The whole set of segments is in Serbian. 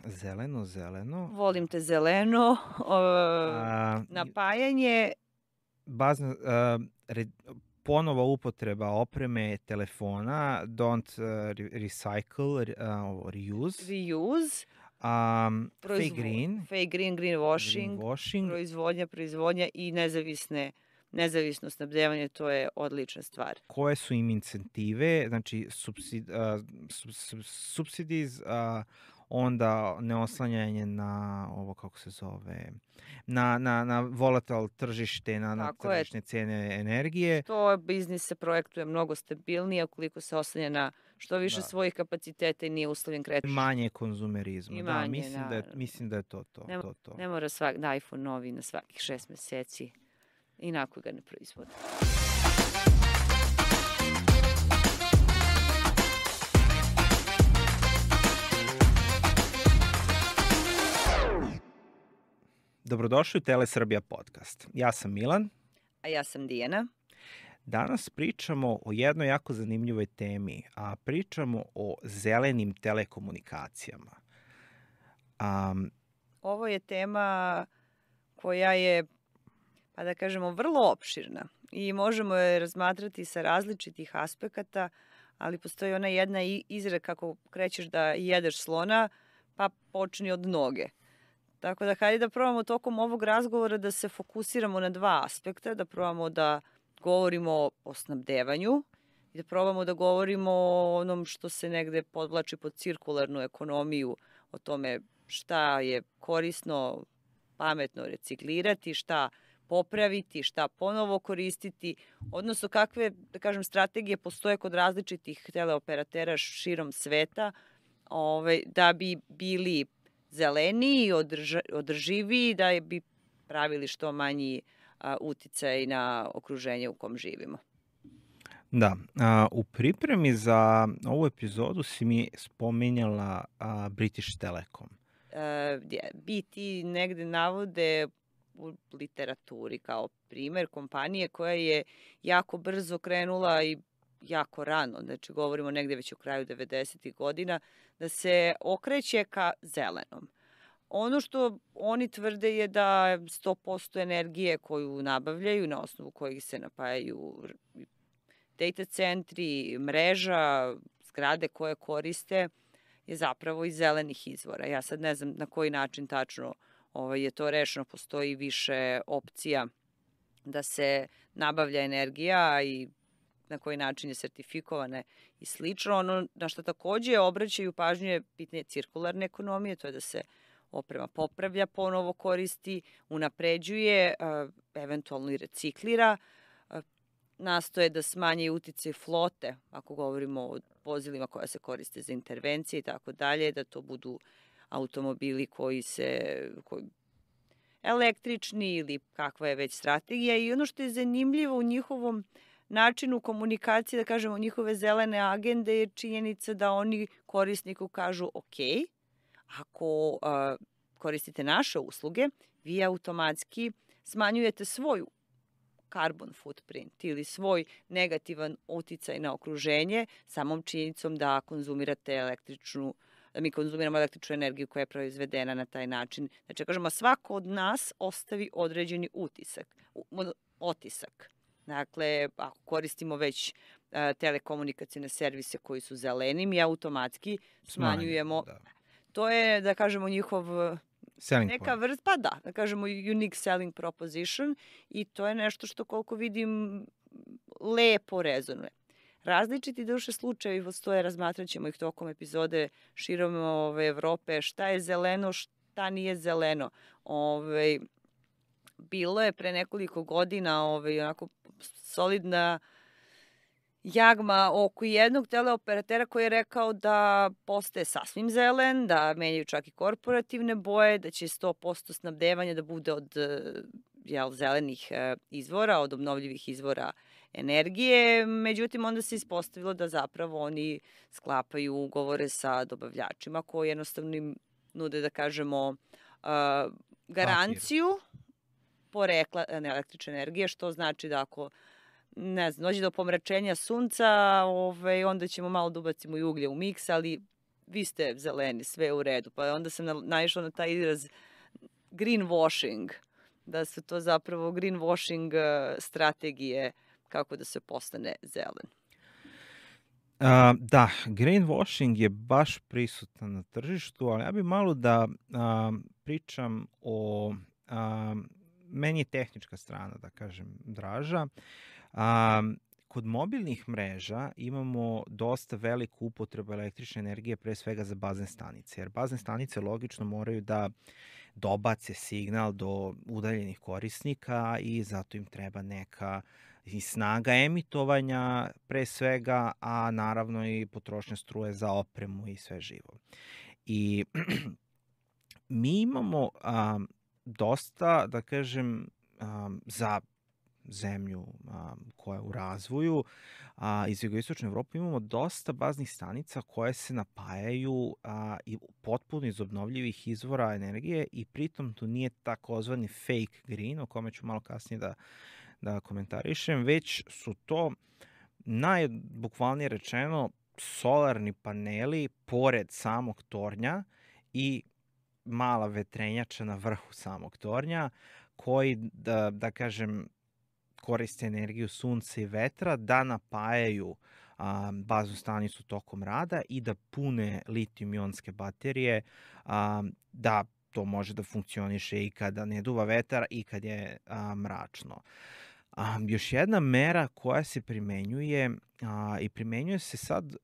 Zeleno, zeleno. Volim te zeleno. A, Napajanje. bazna, ponova upotreba opreme, telefona, don't recycle, reuse. Reuse. Fake green. Fake green, greenwashing. Greenwashing. Proizvodnja i nezavisno snabdevanje, to je odlična stvar. Koje su im incentive, znači subsidies, onda neoslanjanje na ovo, kako se zove, na volatile tržište, na tržišne cene energije. To biznis se projektuje mnogo stabilnije ukoliko se oslanja na što više svojih kapaciteta i nije uslovljen kretanjem. Manje konzumerizma. Da, mislim da je to. Ne mora da iPhone novi na svakih 6 meseci, inako ga ne proizvode. Dobrodošli u Telesrbija podcast. Ja sam Milan. A ja sam Dijana. Danas pričamo o jednoj jako zanimljivoj temi, a pričamo o zelenim telekomunikacijama. Ovo je tema koja je, pa da kažemo, vrlo opširna i možemo je razmatrati sa različitih aspekata, ali postoji ona jedna izreka kako krećeš da jedeš slona, pa počni od noge. Tako da hajde da probamo tokom ovog razgovora da se fokusiramo na dva aspekta, da probamo da govorimo o snabdevanju i da probamo da govorimo o onom što se negde podvlači pod cirkularnu ekonomiju, o tome šta je korisno, pametno reciklirati, šta popraviti, šta ponovo koristiti, odnosno kakve, da kažem, strategije postoje kod različitih teleoperatera širom sveta da bi bili zeleniji, održiviji, da bi pravili što manji uticaj na okruženje u kom živimo. Da, u pripremi za ovu epizodu si mi spominjala British Telecom. BT negde navode u literaturi kao primer kompanije koja je jako brzo krenula i jako rano, znači govorimo negde već u kraju 90. godina, da se okreće ka zelenom. Ono što oni tvrde je da 100% energije koju nabavljaju, na osnovu kojih se napajaju data centri, mreža, zgrade koje koriste, je zapravo iz zelenih izvora. Ja sad ne znam na koji način tačno je to rešeno, postoji više opcija da se nabavlja energija i na koji način je sertifikovane i slično. Ono na što takođe obraćaju pažnju je pitanje cirkularne ekonomije, to je da se oprema popravlja, ponovo koristi, unapređuje, eventualno i reciklira, nastoje da smanje uticaj flote, ako govorimo o vozilima koja se koriste za intervencije i tako dalje, da to budu automobili koji električni ili kakva je već strategija. I ono što je zanimljivo u njihovom načinu komunikacije, da kažemo njihove zelene agende, je činjenica da oni korisniku kažu ok, ako koristite naše usluge, vi automatski smanjujete svoju carbon footprint ili svoj negativan uticaj na okruženje samom činjenicom da mi konzumiramo električnu energiju koja je proizvedena na taj način. Znači, kažemo, svako od nas ostavi određeni otisak. Dakle, ako koristimo već telekomunikacijne servise koji su zeleni, mi automatski smanjujemo. Da. To je, da kažemo, njihov neka vrsta, pa da kažemo unique selling proposition i to je nešto što koliko vidim lepo rezonuje. Različiti duše slučajevi postoje, razmatrat ćemo ih tokom epizode širom Evrope, šta je zeleno, šta nije zeleno. Bilo je pre nekoliko godina onako solidna jagma oko jednog teleoperatera koji je rekao da postaje sasvim zelen, da menjaju čak i korporativne boje, da će 100% snabdevanja da bude od zelenih izvora, od obnovljivih izvora energije. Međutim, onda se ispostavilo da zapravo oni sklapaju ugovore sa dobavljačima koji jednostavno im nude, da kažemo, garanciju porekla električne energije, što znači da ako dođe do pomračenja sunca, onda ćemo malo da ubacimo i uglje u miks, ali vi ste zeleni, sve je u redu. Pa onda sam naišla na taj izraz greenwashing, da su to zapravo greenwashing strategije kako da se postane zelen. Da, greenwashing je baš prisutan na tržištu, ali ja bih malo da pričam o, meni je tehnička strana, da kažem, draža. Kod mobilnih mreža imamo dosta veliku upotrebu električne energije, pre svega za bazne stanice, jer bazne stanice logično moraju da dobace signal do udaljenih korisnika i zato im treba neka i snaga emitovanja pre svega, a naravno i potrošnja struje za opremu i sve živo. I mi imamo dosta, da kažem, za zemlju koja je u razvoju, iz jugoistočne Evrope imamo dosta baznih stanica koje se napajaju i potpuno iz obnovljivih izvora energije i pritom tu nije takozvani fake green, o kome ću malo kasnije da komentarišem, već su to najbukvalnije rečeno solarni paneli pored samog tornja i mala vetrenjača na vrhu samog tornja koji, da kažem, koriste energiju sunca i vetra da napajaju baznu stanicu tokom rada i da pune litijum-ionske baterije, da to može da funkcioniše i kada ne duva vetar i kad je mračno. Još jedna mera koja se primenjuje i primenjuje se sad,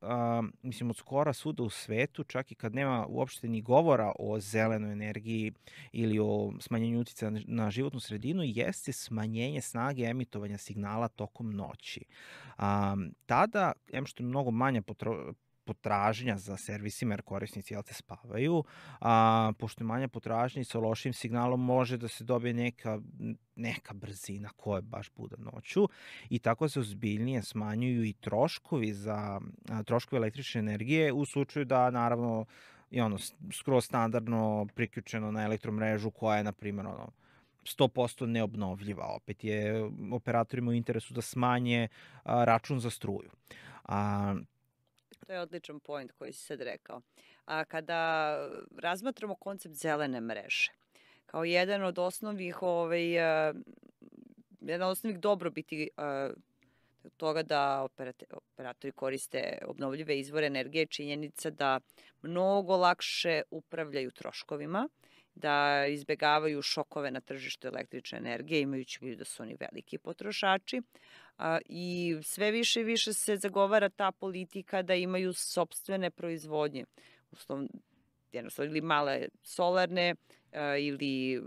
mislim, od skora svuda u svetu, čak i kad nema uopšte ni govora o zelenoj energiji ili o smanjenju uticaja na životnu sredinu, jeste smanjenje snage emitovanja signala tokom noći. Tada, što je mnogo manja potražnja za servisima, jer korisnici spavaju, pošto je manja potražnja i sa lošim signalom može da se dobije neka brzina koja baš bude noću i tako se ozbiljnije smanjuju i troškovi električne energije u slučaju da naravno je skroz standardno priključeno na elektromrežu koja je, na primjer, 100% neobnovljiva. Opet je operatorima u interesu da smanje račun za struju. To je odličan point koji si sad rekao. Kada razmatramo koncept zelene mreže, kao jedan od osnovnih dobrobiti toga da operatori koriste obnovljive izvore energije, činjenica da mnogo lakše upravljaju troškovima, da izbegavaju šokove na tržištu električne energije, imajući u vidu da su oni veliki potrošači. I sve više i više se zagovara ta politika da imaju sopstvene proizvodnje, jednostavno ili male solarne ili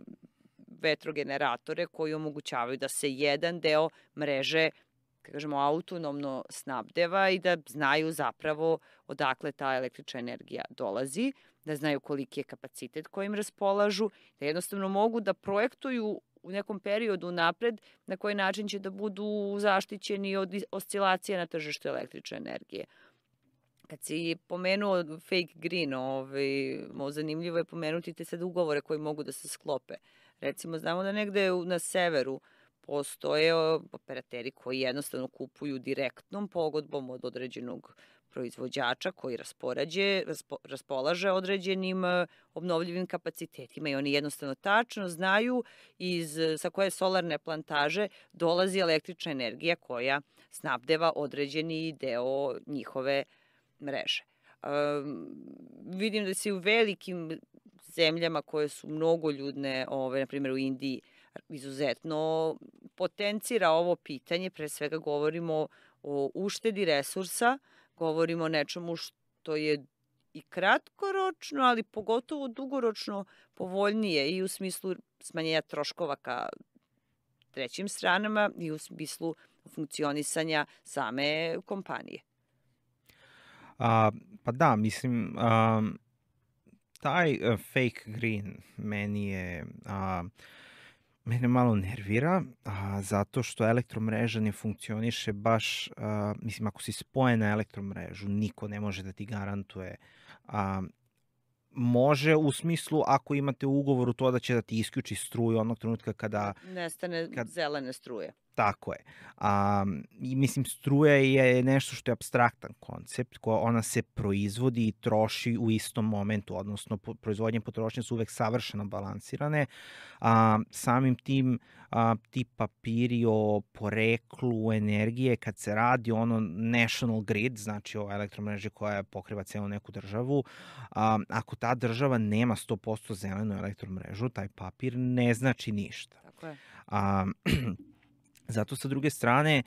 vetrogeneratore koji omogućavaju da se jedan deo mreže, kažemo, autonomno snabdeva i da znaju zapravo odakle ta električna energija dolazi, da znaju koliki je kapacitet kojim raspolažu, da jednostavno mogu da projektuju u nekom periodu napred na koji način će da budu zaštićeni od oscilacija na tržištu električne energije. Kad si pomenuo fake green, zanimljivo je pomenuti te sad ugovore koji mogu da se sklope. Recimo, znamo da negde na severu postoje operateri koji jednostavno kupuju direktnom pogodbom od određenog proizvođača koji raspolaže određenim obnovljivim kapacitetima i oni jednostavno tačno znaju sa koje solarne plantaže dolazi električna energija koja snabdeva određeni deo njihove mreže. Vidim da se u velikim zemljama koje su mnogoljudne, na primjer u Indiji, izuzetno potencira ovo pitanje, pre svega govorimo o uštedi resursa, govorimo o nečemu što je i kratkoročno, ali pogotovo dugoročno povoljnije i u smislu smanjenja troškova ka trećim stranama i u smislu funkcionisanja same kompanije. Pa da, mislim, taj fake green mene malo nervira, zato što elektromreža ne funkcioniše baš, mislim, ako si spojen na elektromrežu, niko ne može da ti garantuje. Može u smislu ako imate u ugovoru to da će da ti isključi struju onog trenutka kada nestane zelene struje. Tako je. I mislim, struja je nešto što je apstraktan koncept, ona se proizvodi i troši u istom momentu, odnosno proizvodnje i potrošnje su uvek savršeno balansirane. Samim tim ti papiri o poreklu energije, kad se radi ono national grid, znači o elektromreži koja pokriva celu neku državu, ako ta država nema 100% zelenu elektromrežu, taj papir ne znači ništa. Tako je. Zato sa druge strane,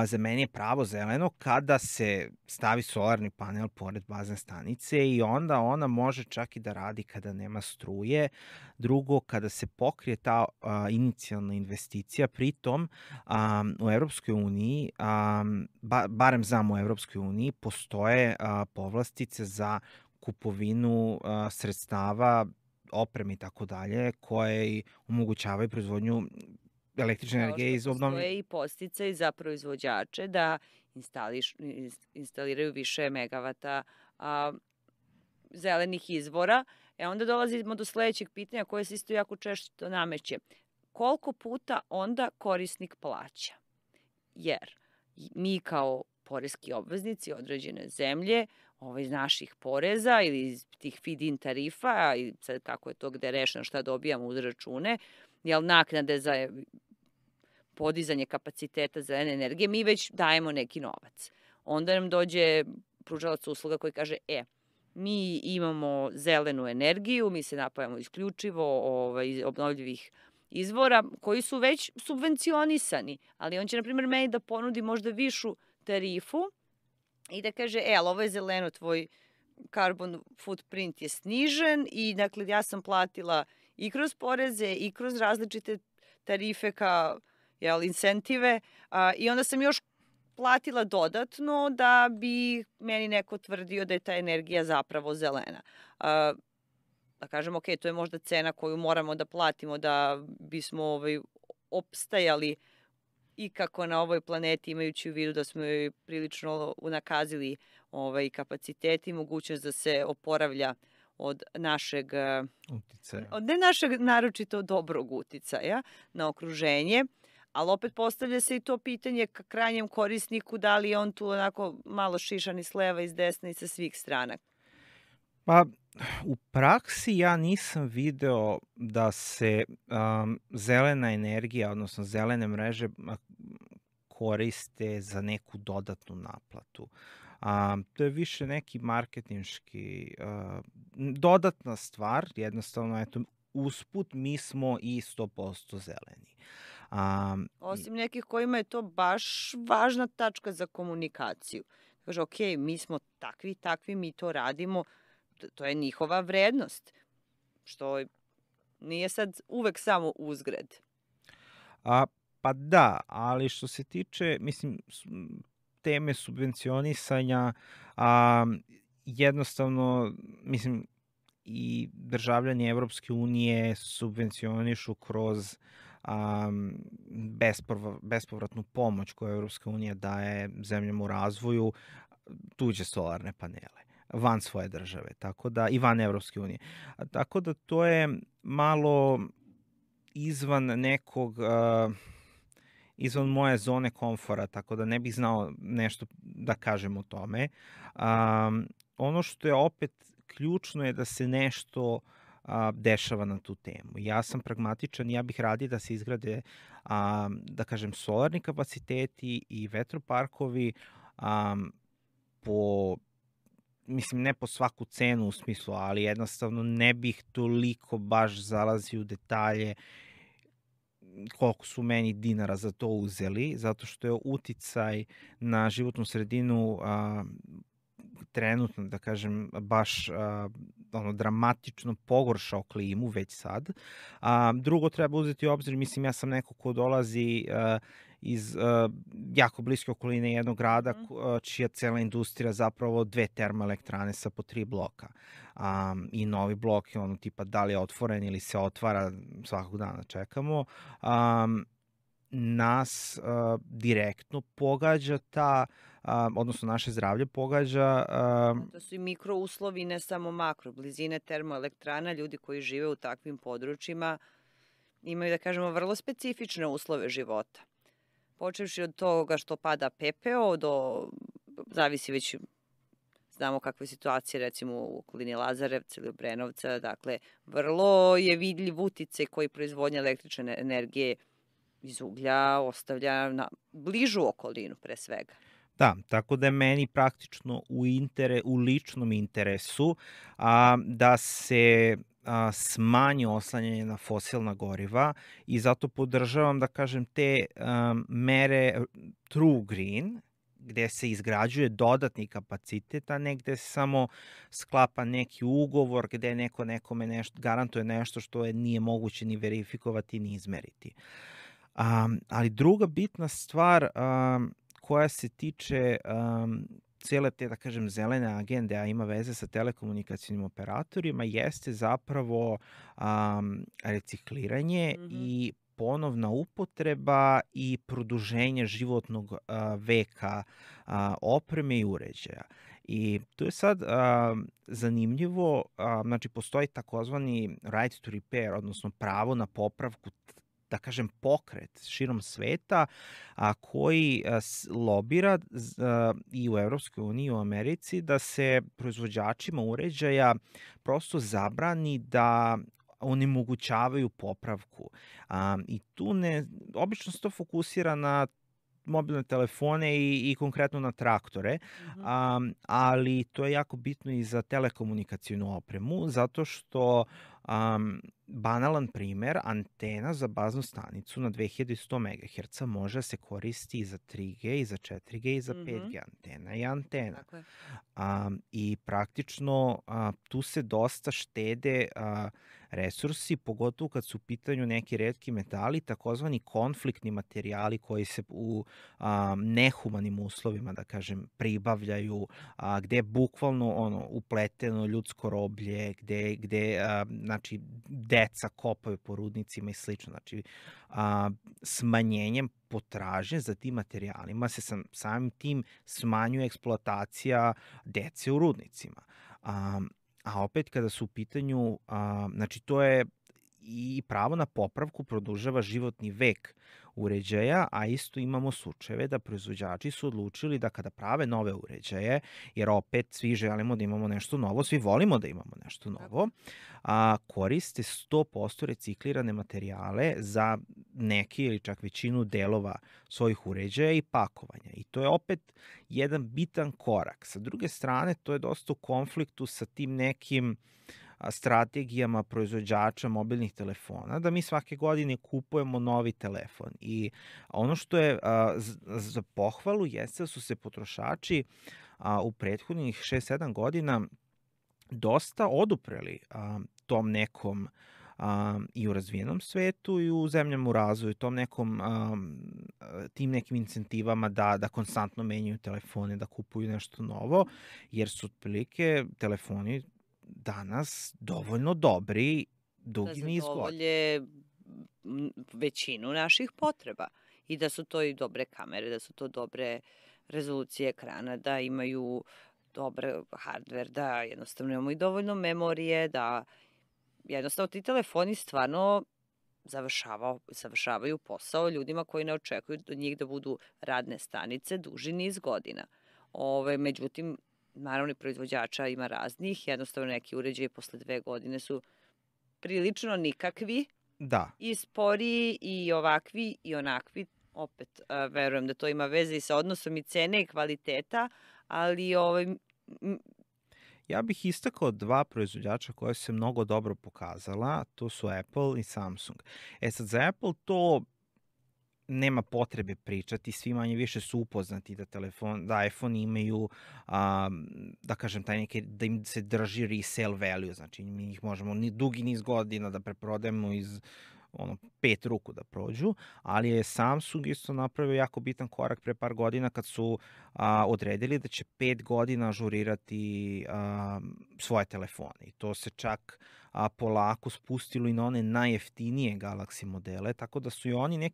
za mene je pravo zeleno kada se stavi solarni panel pored bazne stanice i onda ona može čak i da radi kada nema struje. Drugo, kada se pokrije ta inicijalna investicija, pritom u Evropskoj uniji, barem znam u Evropskoj uniji, postoje povlastice za kupovinu sredstava, opreme i tako dalje, koje omogućavaju proizvodnju električne energije iz obnovljivih. Postoje i podsticaj za proizvođače da instaliraju više megavata zelenih izvora. Onda dolazimo do sledećeg pitanja koje se isto jako često nameće. Koliko puta onda korisnik plaća? Jer mi kao poreski obveznici određene zemlje iz naših poreza ili iz tih feed-in tarifa, i sad kako je to gde rešeno šta dobijamo uz račune, naknade za podizanje kapaciteta zelene energije, mi već dajemo neki novac. Onda nam dođe pružalac usluga koji kaže, mi imamo zelenu energiju, mi se napajamo isključivo iz obnovljivih izvora koji su već subvencionisani, ali on će, na primjer, meni da ponudi možda višu tarifu i da kaže, ali ovo je zeleno, tvoj carbon footprint je snižen i dakle ja sam platila i kroz poreze i kroz različite tarife kao incentive i onda sam još platila dodatno da bi meni neko tvrdio da je ta energija zapravo zelena. Da kažem, ok, to je možda cena koju moramo da platimo da bismo opstajali ikako na ovoj planeti, imajući u vidu da smo joj prilično unakazili kapaciteti i mogućnost da se oporavlja od našeg uticaja. Od ne našeg naročito dobrog uticaja na okruženje, ali opet postavlja se i to pitanje ka krajnjem korisniku, da li je on tu onako malo šišan i s leva i s desna i sa svih strana. Pa, u praksi ja nisam video da se zelena energija, odnosno zelene mreže koriste za neku dodatnu naplatu. To je više neki marketinški dodatna stvar, jednostavno, eto, usput mi smo i 100% zeleni. Osim nekih kojima je to baš važna tačka za komunikaciju. Kaže, ok, mi smo takvi, mi to radimo, to je njihova vrednost, što nije sad uvek samo uzgred. Pa da, ali što se tiče, mislim, teme subvencionisanja, jednostavno, mislim, i državljani Evropske unije subvencionišu kroz bespovratnu pomoć koju Evropska unija daje zemljama u razvoju, tuđe solarne panele van svoje države, tako da i van Evropske unije. Tako da to je malo izvan nekog, izvan moje zone komfora, tako da ne bih znao nešto da kažem o tome. Ono što je opet ključno je da se nešto dešava na tu temu. Ja sam pragmatičan, ja bih radije da se izgrade, da kažem, solarni kapaciteti i vetroparkovi po, mislim, ne po svaku cenu u smislu, ali jednostavno ne bih toliko baš zalazio u detalje koliko su meni dinara za to uzeli, zato što je uticaj na životnu sredinu trenutno, da kažem, baš dramatično pogoršao klimu već sad. Drugo, treba uzeti u obzir, mislim, ja sam neko ko dolazi iz jako bliske okoline jednog grada, čija cela industrija zapravo 2 termoelektrane sa po 3 bloka. I novi blok je ono tipa da li je otvoren ili se otvara, svakog dana čekamo. Nas direktno pogađa ta, odnosno naše zdravlje pogađa. To su i mikrouslovi, ne samo makro. Blizine termoelektrana, ljudi koji žive u takvim područjima imaju, da kažemo, vrlo specifične uslove života. Počevši od toga što pada pepeo, zavisi već, znamo kakve situacije recimo u okolini Lazarevca ili Obrenovca, dakle vrlo je vidljiv uticaj koji proizvodnja električne energije iz uglja ostavlja na bližu okolinu pre svega. Da, tako da je meni praktično u ličnom interesu da se smanji oslanjanje na fosilna goriva i zato podržavam, da kažem, te mere True Green, gde se izgrađuje dodatni kapacitet, a ne gde se samo sklapa neki ugovor gde neko nekome garantuje nešto što nije moguće ni verifikovati ni izmeriti. Ali druga bitna stvar koja se tiče cijele te, da kažem, zelene agende, a ima veze sa telekomunikacijnim operatorima, jeste zapravo recikliranje i ponovna upotreba i produženje životnog veka opreme i uređaja. I to je sad zanimljivo, znači postoji takozvani right to repair, odnosno pravo na popravku, da kažem, pokret širom sveta koji lobira i u Evropskoj uniji i u Americi da se proizvođačima uređaja prosto zabrani da onemogućavaju popravku. I tu obično se to fokusira na mobilne telefone i konkretno na traktore, ali to je jako bitno i za telekomunikacijnu opremu, zato što banalan primer, antena za baznu stanicu na 2100 MHz može se koristi i za 3G, i za 4G, i za 5G. Antena je antena. I praktično tu se dosta štede resursi, pogotovo kad su u pitanju neki retki metali, takozvani konfliktni materijali koji se u nehumanim uslovima, da kažem, pribavljaju, gde je bukvalno upleteno ljudsko roblje, gde znači, deca kopaju po rudnicima i slično. Znači, smanjenjem potražnje za tim materijalima se samim tim smanjuje eksploatacija dece u rudnicima. A opet kada su u pitanju, znači to je i pravo na popravku produžava životni vek uređaja, a isto imamo slučajeve da proizvođači su odlučili da kada prave nove uređaje, jer opet svi želimo da imamo nešto novo, svi volimo da imamo nešto novo, koriste 100% reciklirane materijale za neki ili čak većinu delova svojih uređaja i pakovanja. I to je opet jedan bitan korak. Sa druge strane, to je dosta u konfliktu sa tim nekim strategijama proizvođača mobilnih telefona, da mi svake godine kupujemo novi telefon. I ono što je za pohvalu jeste da su se potrošači u prethodnih 6-7 godina dosta odupreli tom nekom i u razvijenom svetu i u zemljama u razvoju, tim nekim incentivama da konstantno menjaju telefone, da kupuju nešto novo, jer su otprilike telefoni danas dovoljno dobri dugi niz godina. Da zadovolje većinu naših potreba i da su to i dobre kamere, da su to dobre rezolucije ekrana, da imaju dobar hardware, da jednostavno imamo i dovoljno memorije, da jednostavno ti telefoni stvarno završavaju posao ljudima koji ne očekuju od njih da budu radne stanice duži niz godina. Međutim, naravno i proizvođača ima raznih, jednostavno neki uređaji posle 2 godine su prilično nikakvi, i sporiji, i ovakvi, i onakvi. Opet, verujem da to ima veze i sa odnosom i cene i kvaliteta, ali ja bih istakao 2 proizvođača koje se mnogo dobro pokazala, to su Apple i Samsung. Sad za Apple to nema potrebe pričati, svi manje više su upoznati da iPhone imaju, da kažem, da im se drži resale value, znači mi ih možemo dugi niz godina da preprodajemo iz 5 ruku da prođu, ali je Samsung isto napravio jako bitan korak pre par godina kad su odredili da će 5 godina ažurirati svoje telefone. I to se čak polako spustilo i na one najjeftinije Galaxy modele, tako da su i oni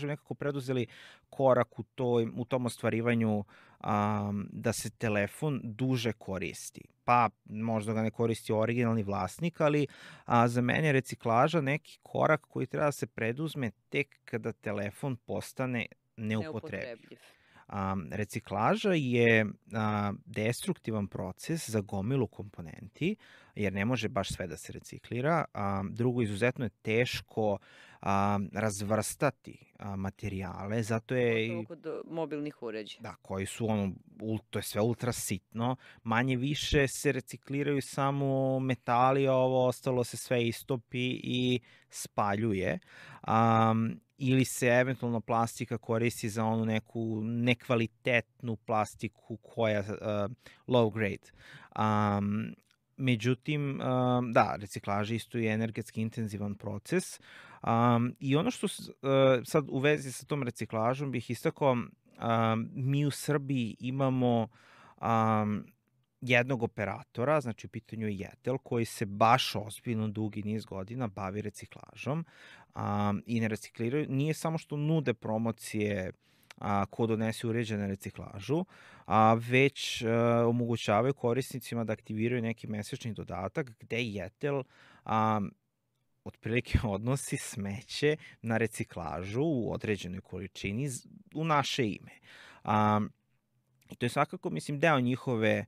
nekako preduzeli korak u tom ostvarivanju da se telefon duže koristi. Pa možda ga ne koristi originalni vlasnik, ali za mene je reciklaža neki korak koji treba da se preduzme tek kada telefon postane neupotrebljiv. Reciklaža je destruktivan proces za gomilu komponenti, jer ne može baš sve da se reciklira. Drugo, izuzetno je teško razvrstati materijale, zato je... Pogotovo kod mobilnih uređaja. Da, koji su to je sve ultra sitno, manje više se recikliraju samo metali, a ovo ostalo se sve istopi i spaljuje. Ili se eventualno plastika koristi za onu neku nekvalitetnu plastiku koja je low grade. Međutim, da, reciklaža isto je energetski intenzivan proces. I ono što sad u vezi sa tom reciklažom bih istakao, mi u Srbiji imamo jednog operatora, znači u pitanju je Jetel, koji se baš ozbiljno dugi niz godina bavi reciklažom i ne recikliraju. Nije samo što nude promocije ko donese uređaj na reciklažu, već omogućavaju korisnicima da aktiviraju neki mesečni dodatak gde Jetel otprilike odnosi smeće na reciklažu u određenoj količini u naše ime. I to je svakako, mislim, deo njihove,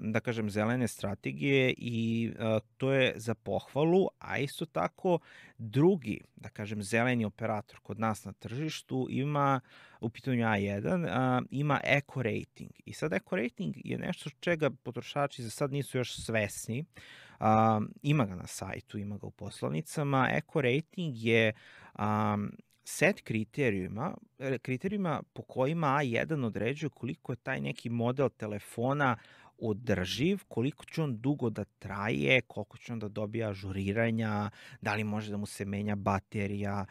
da kažem, zelene strategije i to je za pohvalu, a isto tako drugi, da kažem, zeleni operator kod nas na tržištu ima, u pitanju A1, ima Eco Rating. I sad Eco Rating je nešto čega potrošači za sad nisu još svesni. Ima ga na sajtu, ima ga u poslovnicama. Eco Rating je set kriterijuma po kojima A1 određuje koliko je taj neki model telefona održiv, koliko će on dugo da traje, koliko će on da dobija ažuriranja, da li može da mu se menja baterija,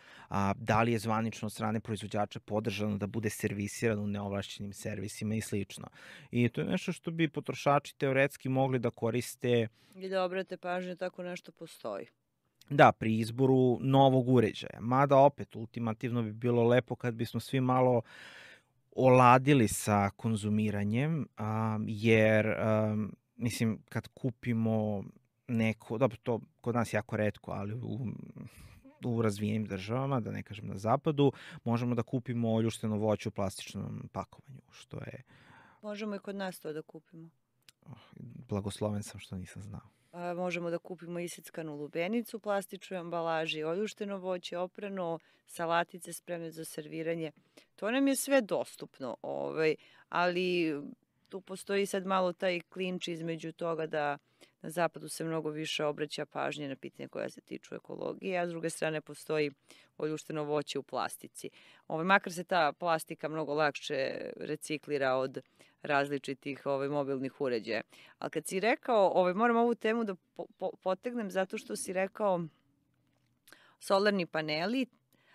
da li je zvanično od strane proizvođača podržano da bude servisiran u neovlašćenim servisima i slično. I to je nešto što bi potrošači teoretski mogli da koriste. I da obrate pažnju, tako nešto postoji. Da, pri izboru novog uređaja. Mada opet, ultimativno bi bilo lepo kad bismo svi malo oladili sa konzumiranjem, jer, mislim, kad kupimo neko, dobro, to kod nas jako retko, ali u razvijenim državama, da ne kažem na zapadu, možemo da kupimo oljušteno voće u plastičnom pakovanju, što je... Možemo i kod nas to da kupimo. Blagosloven sam što nisam znao. Možemo da kupimo isickanu lubenicu, plastičnoj ambalaži, oljušteno voće, oprano, salatice spremne za serviranje. To nam je sve dostupno, ali tu postoji sad malo taj klinč između toga da na zapadu se mnogo više obraća pažnje na pitanje koja se tiču ekologije, a s druge strane postoji oljušteno voće u plastici. Makar se ta plastika mnogo lakše reciklira od različitih mobilnih uređaja. Ali kad si rekao, moram ovu temu da potegnem zato što si rekao solarni paneli,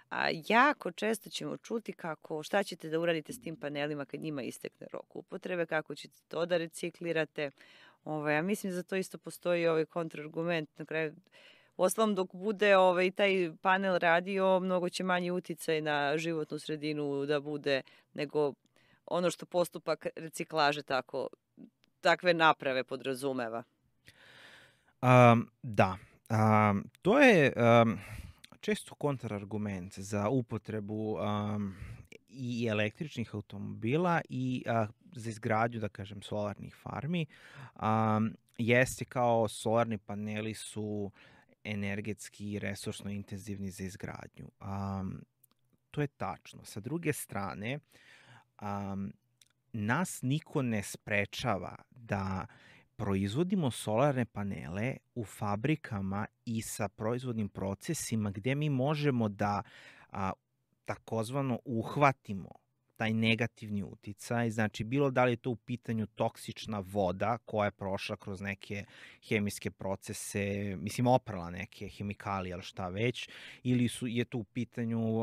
a jako često ćemo čuti šta ćete da uradite s tim panelima kad njima istekne rok upotrebe, kako ćete to da reciklirate. Ja mislim da za to isto postoji kontrargument. Na kraju, uostalom, dok bude taj panel radio, mnogo će manji uticaj na životnu sredinu da bude nego ono što postupak reciklaže takve naprave podrazumeva. Da. To je često kontrargument za upotrebu i električnih automobila i za izgradnju, da kažem, solarnih farmi. Jeste kao solarni paneli su energetski i resursno intenzivni za izgradnju. To je tačno. Sa druge strane, nas niko ne sprečava da proizvodimo solarne panele u fabrikama i sa proizvodnim procesima gde mi možemo da takozvano uhvatimo taj negativni uticaj, znači bilo da li je to u pitanju toksična voda koja je prošla kroz neke hemijske procese, mislim oprala neke hemikalije ili šta već, ili je to u pitanju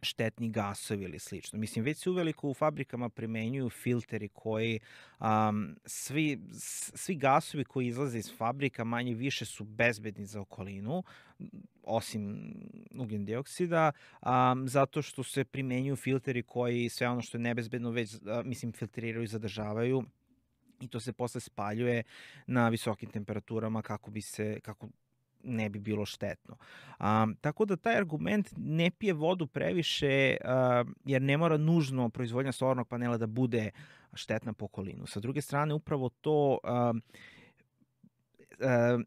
štetni gasovi ili slično. Mislim, već se uveliko u fabrikama primenjuju filteri koji, svi gasovi koji izlaze iz fabrika manje više su bezbedni za okolinu, osim ugljen dioksida, zato što se primenjuju filteri koji sve ono što je nebezbedno već, filtriraju i zadržavaju i to se posle spaljuje na visokim temperaturama kako ne bi bilo štetno. Tako da taj argument ne pije vodu previše, jer ne mora nužno proizvodnja solarnog panela da bude štetna po okolinu. Sa druge strane, upravo to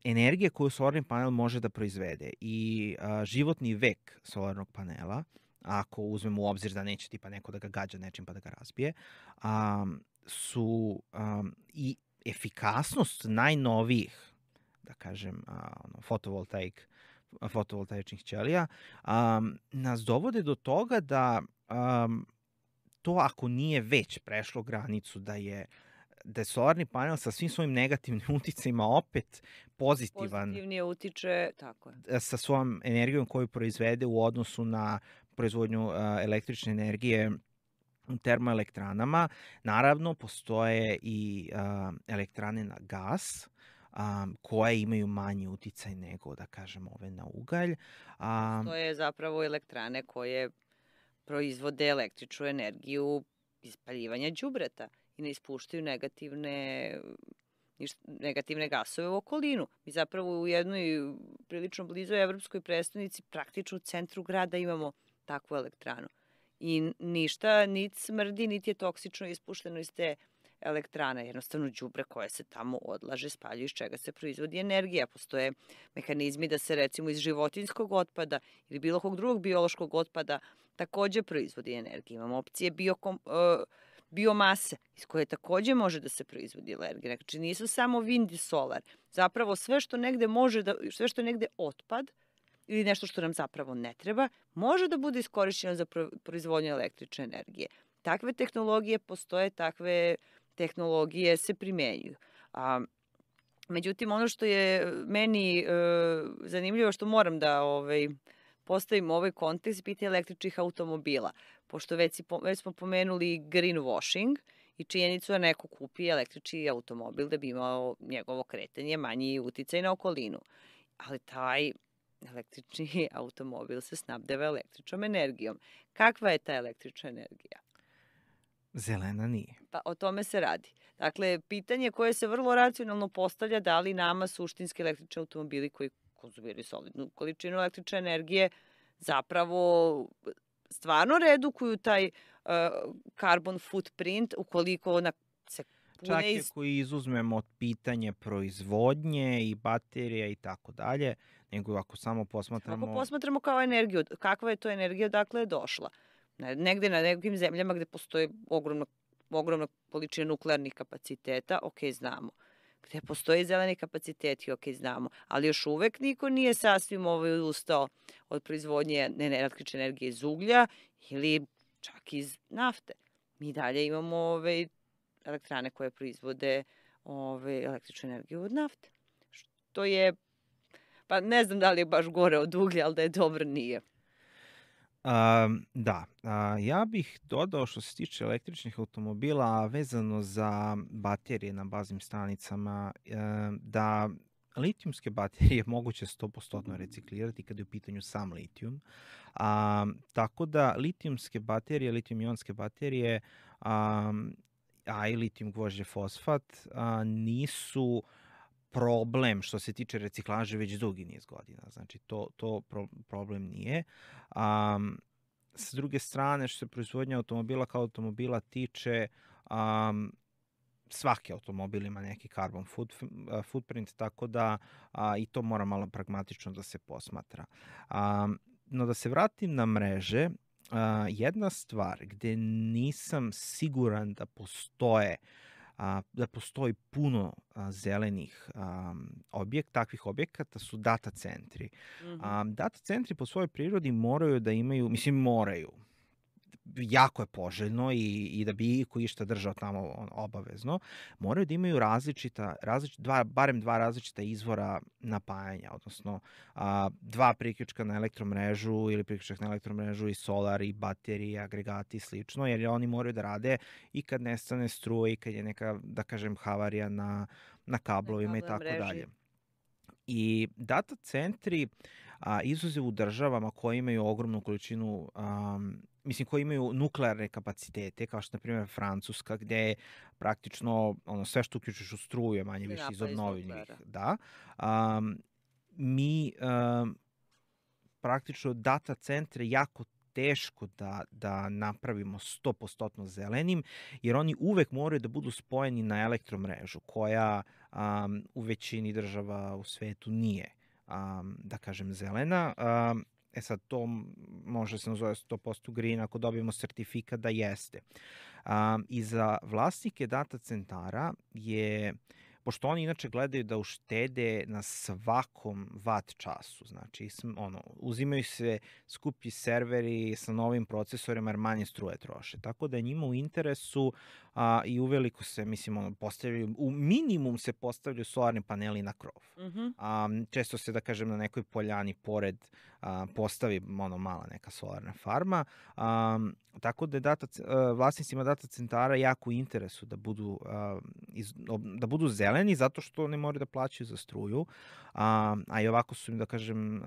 energije koju solarni panel može da proizvede i životni vek solarnog panela, ako uzmemo u obzir da neće tipa neko da ga gađa nečim pa da ga razbije, su i efikasnost najnovijih, da kažem, fotovoltaičnih ćelija, nas dovode do toga da to ako nije već prešlo granicu da je solarni panel sa svim svojim negativnim uticajima opet pozitivan. Pozitivnije utiče, tako je. Sa svojom energijom koju proizvede u odnosu na proizvodnju električne energije u termoelektranama. Naravno, postoje i elektrane na gas, koje imaju manji uticaj nego, da kažem, ove na ugalj. To je zapravo elektrane koje proizvode električnu energiju iz spaljivanja đubreta i ne ispuštaju negativne gasove u okolinu. Mi zapravo u jednoj prilično blizoj evropskoj prestonici, praktično u centru grada imamo takvu elektranu. I ništa niti smrdi, niti je toksično ispušteno iz te elektrane. Jednostavno đubre koje se tamo odlaže, spaljuju, iz čega se proizvodi energija. Postoje mehanizmi da se recimo iz životinjskog otpada ili bilo kog drugog biološkog otpada takođe proizvodi energija. Imamo opcije biomase iz koje takođe može da se proizvodi energija. Znači nisu samo vind i solar. Zapravo sve što negde sve što je negde otpad ili nešto što nam zapravo ne treba, može da bude iskorišćeno za proizvodnju električne energije. Takve tehnologije postoje, takve tehnologije se primenjuju. Međutim, ono što je meni zanimljivo, što moram da postavim ovaj kontekst, pitanje električnih automobila. Pošto već smo pomenuli greenwashing i činjenicu da neko kupi električni automobil da bi imao njegovo kretanje manji uticaj na okolinu. Ali taj električni automobil se snabdeva električnom energijom. Kakva je ta električna energija? Zelena nije. Pa o tome se radi. Dakle, pitanje koje se vrlo racionalno postavlja, da li nama suštinski električni automobili koji konzumiraju solidnu količinu električne energije zapravo stvarno redukuju taj carbon footprint ukoliko se pune Čak i ako izuzmemo pitanje proizvodnje i baterija i tako dalje, nego ako samo posmatramo... Ako posmatramo kao energiju, kakva je to energija, dakle je došla. Negde na nekim zemljama gde postoji ogromna količina nuklearnih kapaciteta, ok, znamo. Gde postoji zeleni kapaciteti, ok, znamo. Ali još uvek niko nije sasvim ustao od proizvodnje električne energije iz uglja ili čak iz nafte. Mi dalje imamo elektrane koje proizvode električnu energiju od nafte. Što je, pa ne znam da li je baš gore od uglja, ali da je dobro nije. Da, ja bih dodao što se tiče električnih automobila vezano za baterije na baznim stanicama, da litijumske baterije moguće 100% reciklirati kada je u pitanju sam litijum. Tako da litijumske baterije, litijum-ionske baterije, a i litijum gvožđe fosfat nisu problem što se tiče reciklaže već dugi niz godina. Znači, to problem nije. S druge strane, što se proizvodnja automobila kao automobila tiče, svaki automobil ima neki carbon footprint, tako da i to mora malo pragmatično da se posmatra. No da se vratim na mreže, jedna stvar gde nisam siguran da postoji puno zelenih takvih objekata su data centri. Data centri po svojoj prirodi moraju da imaju, moraju, jako je poželjno i da bi iko išta držao tamo obavezno, moraju da imaju barem dva različita izvora napajanja, odnosno dva priključka na elektromrežu ili priključak na elektromrežu i solar i baterije, agregati i slično, jer oni moraju da rade i kad nestane struje i kad je neka, da kažem, havarija na kablovima i tako dalje. I data centri, izuzev u državama koje imaju ogromnu količinu, koji imaju nuklearne kapacitete, kao što na primjer Francuska, gde je praktično sve što uključiš u struju je manje više iz obnovljivih. Da. mi praktično data centre jako teško da napravimo 100% zelenim, jer oni uvek moraju da budu spojeni na elektromrežu, koja u većini država u svetu nije, da kažem, zelena. Sad, to može se nazove 100% green ako dobijemo sertifikat da jeste. I za vlasnike data centara je, pošto oni inače gledaju da uštede na svakom watt času, znači uzimaju se skuplji serveri sa novim procesorima jer manje struje troše. Tako da je njima u interesu i uveliko se, mislim, postavljaju, u minimum se postavljaju solarni paneli na krov. Često se, da kažem, na nekoj poljani pored postavi mala neka solarna farma. Tako da je vlasnicima data centara jako u interesu da budu zeleni, zato što ne moraju da plaćaju za struju, a i ovako su im, da kažem,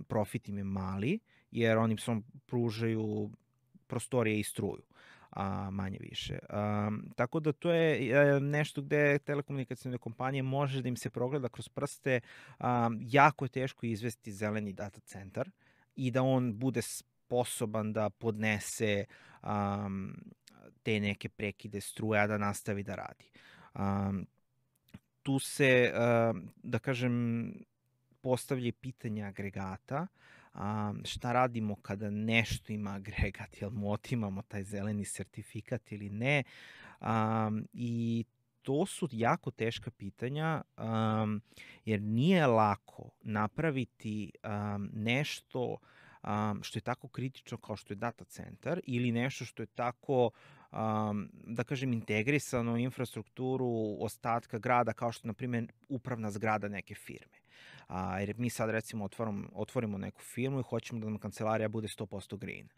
profit im je mali, jer oni samo pružaju prostorije i struju, manje više. Tako da to je nešto gde telekomunikacijne kompanije može da im se progleda kroz prste. Jako je teško izvesti zeleni data centar i da on bude sposoban da podnese te neke prekide struje, a da nastavi da radi. Tu se, da kažem, postavlja pitanje agregata. Šta radimo kada nešto ima agregat, jel mu otimamo taj zeleni sertifikat ili ne, i to su jako teška pitanja, jer nije lako napraviti nešto što je tako kritično kao što je data centar ili nešto što je tako, da kažem, integrisano u infrastrukturu ostatka grada, kao što je, na primjer, upravna zgrada neke firme. Jer mi sad, recimo, otvorimo neku firmu i hoćemo da nam kancelarija bude 100% green.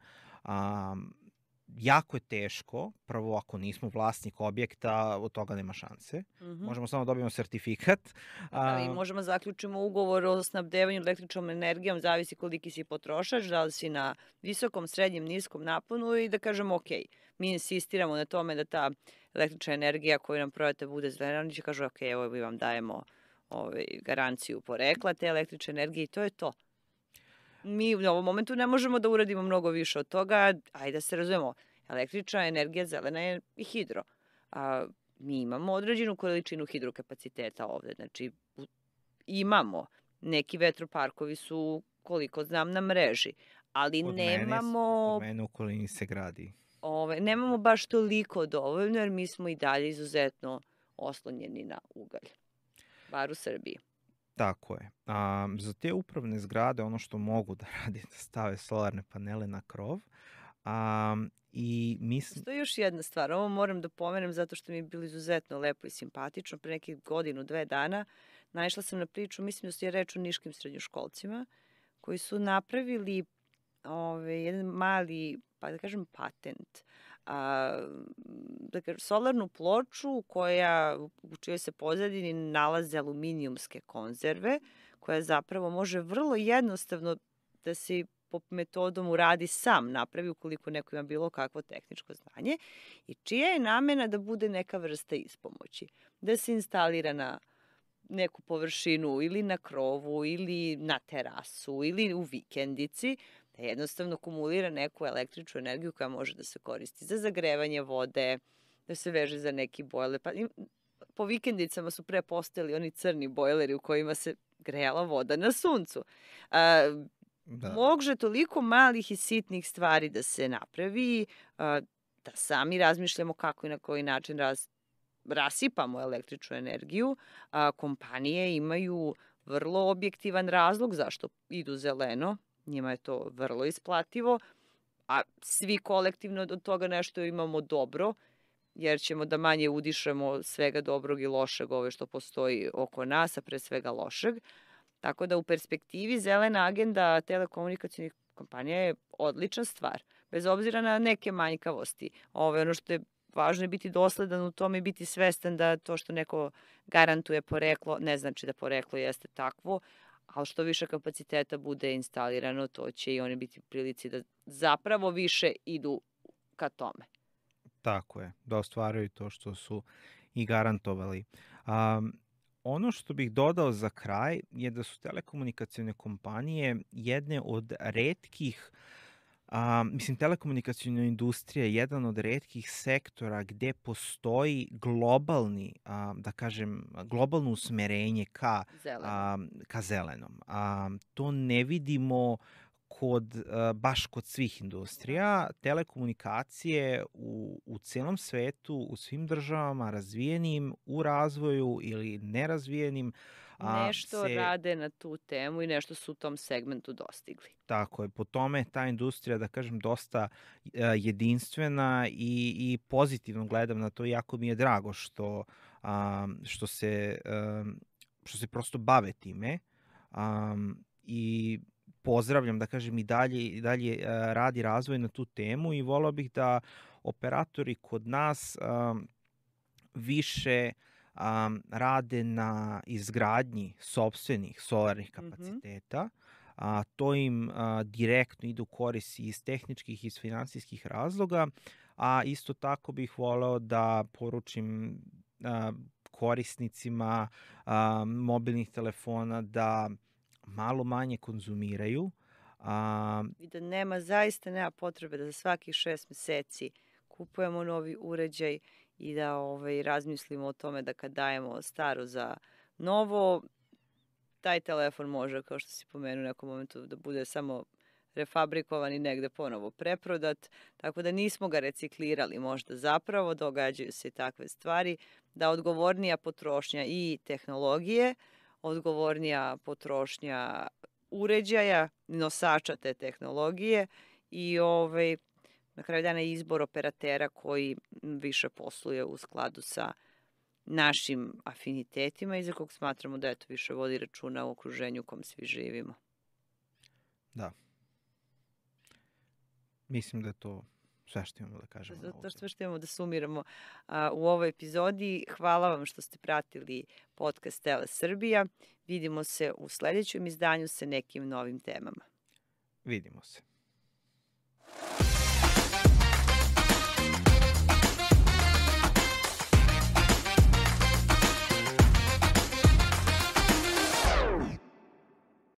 Jako je teško, prvo ako nismo vlasnik objekta, od toga nema šanse. Možemo samo dobijemo sertifikat. I možemo zaključimo ugovor o snabdevanju električnom energijom, zavisi koliki si potrošač, da li si na visokom, srednjem, niskom naponu i da kažemo ok, mi insistiramo na tome da ta električna energija koju nam prodate bude zelena, oni će kažu ok, evo mi vam dajemo garanciju porekla te električne energije i to je to. Mi u ovom momentu ne možemo da uradimo mnogo više od toga, ajde da se razumemo, električna energija zelena je i hidro. Mi imamo određenu količinu hidrokapaciteta ovde, znači imamo, neki vetroparkovi su, koliko znam, na mreži, ali nemamo... Kod mene u okolini se gradi. Nemamo baš toliko dovoljno, jer mi smo i dalje izuzetno oslonjeni na ugalj, bar u Srbiji. Tako je. Za te upravne zgrade ono što mogu da radi je da stave solarne panele na krov. To je još jedna stvar. Ovo moram da pomenem zato što mi je bilo izuzetno lepo i simpatično. Pre nekih 1-2 dana naišla sam na priču, mislim da se je reč o niškim srednjoškolcima, koji su napravili jedan mali, pa da kažem, patent. Solarnu ploču u čijoj se pozadini nalaze aluminijumske konzerve, koja zapravo može vrlo jednostavno da se po metodom uradi sam napravi ukoliko neko ima bilo kakvo tehničko znanje i čija je namena da bude neka vrsta ispomoći. Da se instalira na neku površinu ili na krovu ili na terasu ili u vikendici, da jednostavno kumulira neku električnu energiju koja može da se koristi za zagrevanje vode, da se veže za neki bojler. Po vikendicama su pre postojali oni crni bojleri u kojima se grejala voda na suncu. Može toliko malih i sitnih stvari da se napravi, da sami razmišljamo kako i na koji način rasipamo električnu energiju. Kompanije imaju vrlo objektivan razlog zašto idu zeleno. Njima je to vrlo isplativo, a svi kolektivno od toga nešto imamo dobro, jer ćemo da manje udišemo svega dobrog i lošeg što postoji oko nas, a pre svega lošeg. Tako da u perspektivi zelena agenda telekomunikacijnih kompanija je odlična stvar, bez obzira na neke manjkavosti. Ono što je važno je biti dosledan u tome i biti svestan da to što neko garantuje poreklo, ne znači da poreklo jeste takvo, ali što više kapaciteta bude instalirano, to će i oni biti u prilici da zapravo više idu ka tome. Tako je, da ostvaraju to što su i garantovali. Ono što bih dodao za kraj je da su telekomunikacione kompanije jedne od retkih, telekomunikaciona industrija je jedan od retkih sektora gde postoji globalni, da kažem, globalno usmerenje Zeleno. ka zelenom. To ne vidimo baš kod svih industrija. Telekomunikacije u celom svetu, u svim državama, razvijenim, u razvoju ili nerazvijenim, Nešto rade na tu temu i nešto su u tom segmentu dostigli. Tako je, po tome ta industrija, da kažem, dosta jedinstvena i pozitivno gledam na to. Jako mi je drago što se prosto bave time, i pozdravljam, da kažem, i dalje radi razvoj na tu temu i volao bih da operatori kod nas više rade na izgradnji sopstvenih solarnih kapaciteta. To im direktno ide u korist iz tehničkih i iz finansijskih razloga, a isto tako bih voleo da poručim korisnicima mobilnih telefona da malo manje konzumiraju. I da zaista nema potrebe da za svakih 6 meseci kupujemo novi uređaj i da razmislimo o tome da kad dajemo staro za novo, taj telefon može, kao što si pomenuo u nekom momentu, da bude samo refabrikovan i negde ponovo preprodat, tako da nismo ga reciklirali možda zapravo, događaju se i takve stvari, da odgovornija potrošnja i tehnologije, odgovornija potrošnja uređaja, nosača te tehnologije i na kraju dana izbor operatera koji više posluje u skladu sa našim afinitetima i za kog smatramo da više vodi računa u okruženju u kom svi živimo. Da. Mislim da je to sve što imamo da kažemo. To sve što imamo da sumiramo u ovoj epizodi. Hvala vam što ste pratili podcast Tele Srbija. Vidimo se u sledećem izdanju sa nekim novim temama. Vidimo se.